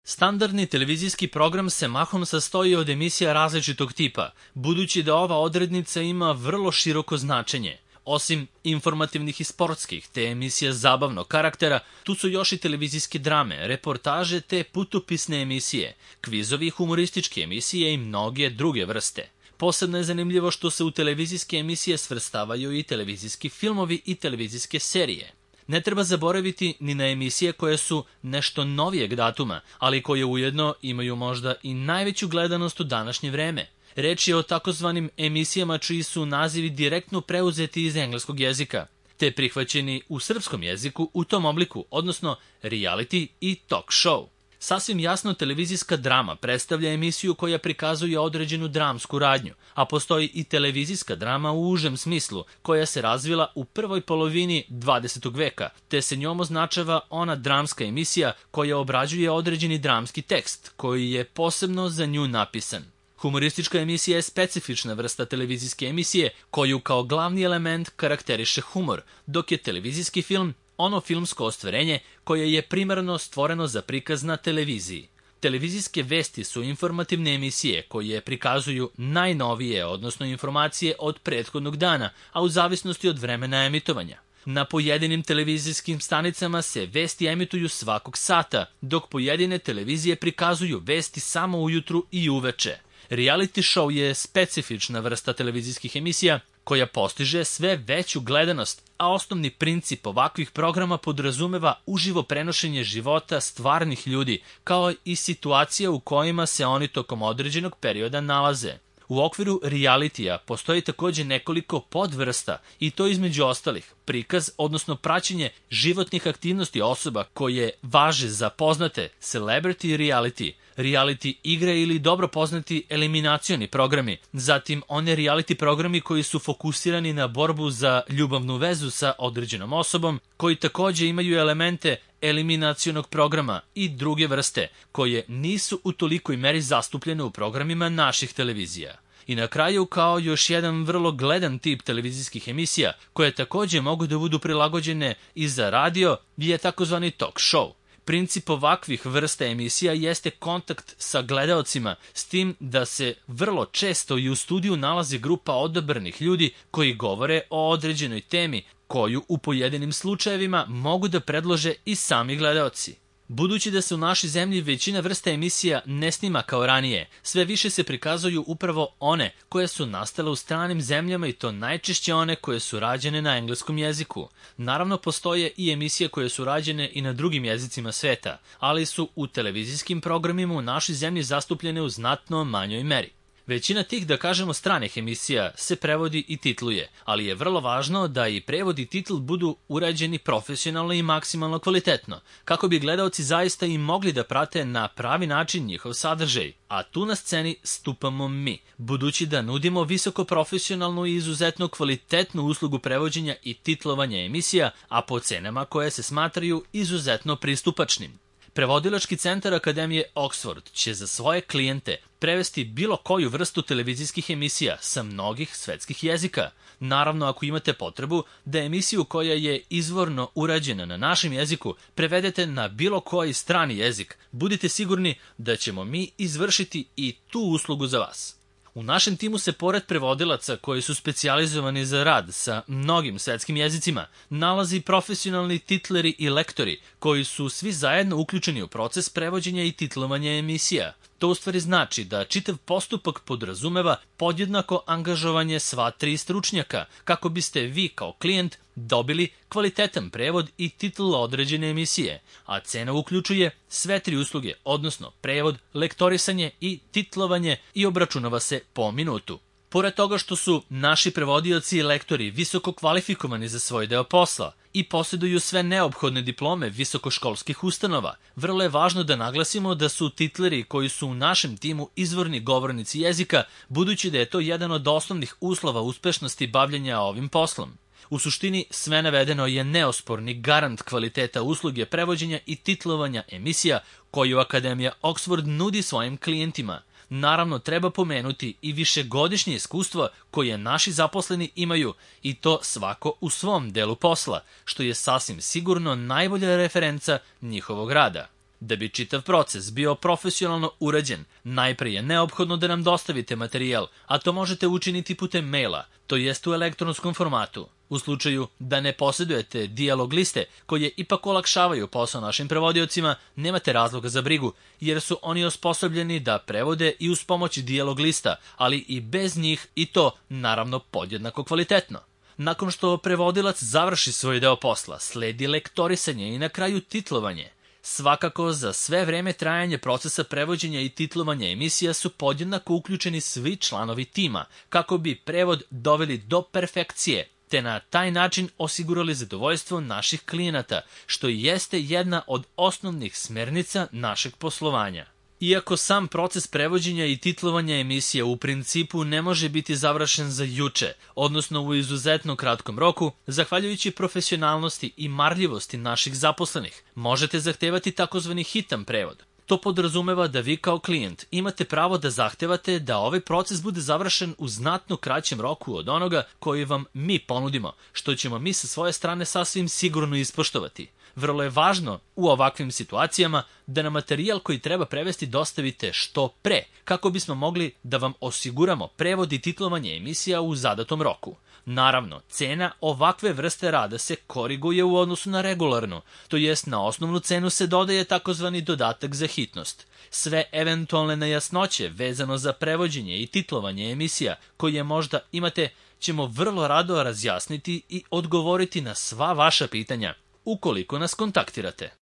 Standardni televizijski program se mahom sastoji od emisija različitog tipa, budući da ova odrednica ima vrlo široko značenje. Osim informativnih i sportskih, te emisija zabavnog karaktera, tu su još i televizijske drame, reportaže te putopisne emisije, kvizovi, humorističke emisije i mnoge druge vrste. Posebno je zanimljivo što se u televizijske emisije svrstavaju i televizijski filmovi i televizijske serije. Ne treba zaboraviti ni na emisije koje su nešto novijeg datuma, ali koje ujedno imaju možda i najveću gledanost u današnje vreme. Reč je o takozvanim emisijama čiji su nazivi direktno preuzeti iz engleskog jezika, te prihvaćeni u srpskom jeziku u tom obliku, odnosno reality i talk show. Sasvim jasno, televizijska drama predstavlja emisiju koja prikazuje određenu dramsku radnju, a postoji i televizijska drama u užem smislu, koja se razvila u prvoj polovini 20. veka, te se njom označava ona dramska emisija koja obrađuje određeni dramski tekst, koji je posebno za nju napisan. Humoristička emisija je specifična vrsta televizijske emisije koju kao glavni element karakteriše humor, dok je televizijski film ono filmsko ostvarenje koje je primarno stvoreno za prikaz na televiziji. Televizijske vesti su informativne emisije koje prikazuju najnovije, odnosno informacije od prethodnog dana, a u zavisnosti od vremena emitovanja. Na pojedinim televizijskim stanicama se vesti emituju svakog sata, dok pojedine televizije prikazuju vesti samo ujutru i uveče. Reality show je specifična vrsta televizijskih emisija koja postiže sve veću gledanost, a osnovni princip ovakvih programa podrazumeva uživo prenošenje života stvarnih ljudi, kao i situacija u kojima se oni tokom određenog perioda nalaze. U okviru realitija postoji također nekoliko podvrsta i to između ostalih prikaz, odnosno praćenje životnih aktivnosti osoba koje važe za poznate celebrity reality igre ili dobro poznati eliminacioni programi, zatim one reality programi koji su fokusirani na borbu za ljubavnu vezu sa određenom osobom, koji također imaju elemente eliminacionog programa i druge vrste, koje nisu u tolikoj meri zastupljene u programima naših televizija. I na kraju, kao još jedan vrlo gledan tip televizijskih emisija, koje također mogu da budu prilagođene i za radio, je takozvani talk show. Princip ovakvih vrsta emisija jeste kontakt sa gledaocima, s tim da se vrlo često i u studiju nalazi grupa odabranih ljudi koji govore o određenoj temi, koju u pojedinim slučajevima mogu da predlože i sami gledaoci. Budući da se u našoj zemlji većina vrsta emisija ne snima kao ranije, sve više se prikazuju upravo one koje su nastale u stranim zemljama i to najčešće one koje su rađene na engleskom jeziku. Naravno, postoje i emisije koje su rađene i na drugim jezicima sveta, ali su u televizijskim programima u našoj zemlji zastupljene u znatno manjoj meri. Većina tih, da kažemo, stranih emisija se prevodi i titluje, ali je vrlo važno da i prevod i titl budu urađeni profesionalno i maksimalno kvalitetno, kako bi gledaoci zaista i mogli da prate na pravi način njihov sadržaj. A tu na sceni stupamo mi, budući da nudimo visoko profesionalnu i izuzetno kvalitetnu uslugu prevođenja i titlovanja emisija, a po cenama koje se smatraju izuzetno pristupačnim. Prevodilački centar Akademije Oxford će za svoje klijente prevesti bilo koju vrstu televizijskih emisija sa mnogih svetskih jezika. Naravno, ako imate potrebu da emisiju koja je izvorno urađena na našem jeziku prevedete na bilo koji strani jezik, budite sigurni da ćemo mi izvršiti i tu uslugu za vas. U našem timu se pored prevodilaca koji su specijalizovani za rad sa mnogim svetskim jezicima, nalazi profesionalni titleri i lektori koji su svi zajedno uključeni u proces prevođenja i titlovanja emisija. To u stvari znači da čitav postupak podrazumeva podjednako angažovanje sva tri stručnjaka kako biste vi kao klijent dobili kvalitetan prevod i titl određene emisije, a cena uključuje sve tri usluge, odnosno prevod, lektorisanje i titlovanje i obračunava se po minutu. Pored toga što su naši prevodioci i lektori visoko kvalifikovani za svoj deo posla i posjeduju sve neophodne diplome visokoškolskih ustanova, vrlo je važno da naglasimo da su titleri koji su u našem timu izvorni govornici jezika, budući da je to jedan od osnovnih uslova uspešnosti bavljenja ovim poslom. U suštini, sve navedeno je neosporni garant kvaliteta usluge prevođenja i titlovanja emisija koju Akademija Oxford nudi svojim klijentima. Naravno, treba pomenuti i višegodišnje iskustvo koje naši zaposleni imaju, i to svako u svom delu posla, što je sasvim sigurno najbolja referenca njihovog rada. Da bi čitav proces bio profesionalno urađen, najpre je neophodno da nam dostavite materijal, a to možete učiniti putem maila, to jest u elektronskom formatu. U slučaju da ne posjedujete dijalog liste, koje ipak olakšavaju posao našim prevodiocima, nemate razloga za brigu, jer su oni osposobljeni da prevode i uz pomoć dijalog lista, ali i bez njih, i to, naravno, podjednako kvalitetno. Nakon što prevodilac završi svoj deo posla, sledi lektorisanje i na kraju titlovanje. Svakako, za sve vreme trajanja procesa prevođenja i titlovanja emisija su podjednako uključeni svi članovi tima, kako bi prevod doveli do perfekcije, te na taj način osigurali zadovoljstvo naših klijenata, što i jeste jedna od osnovnih smernica našeg poslovanja. Iako sam proces prevođenja i titlovanja emisija u principu ne može biti završen za juče, odnosno u izuzetno kratkom roku, zahvaljujući profesionalnosti i marljivosti naših zaposlenih, možete zahtevati takozvani hitan prevod. To podrazumeva da vi kao klijent imate pravo da zahtevate da ovaj proces bude završen u znatno kraćem roku od onoga koji vam mi ponudimo, što ćemo mi sa svoje strane sasvim sigurno ispoštovati. Vrlo je važno u ovakvim situacijama da nam materijal koji treba prevesti dostavite što pre, kako bismo mogli da vam osiguramo prevod i titlovanje emisija u zadatom roku. Naravno, cena ovakve vrste rada se koriguje u odnosu na regularnu, to jest na osnovnu cenu se dodaje takozvani dodatak za hitnost. Sve eventualne nejasnoće vezano za prevođenje i titlovanje emisija koje možda imate ćemo vrlo rado razjasniti i odgovoriti na sva vaša pitanja, ukoliko nas kontaktirate.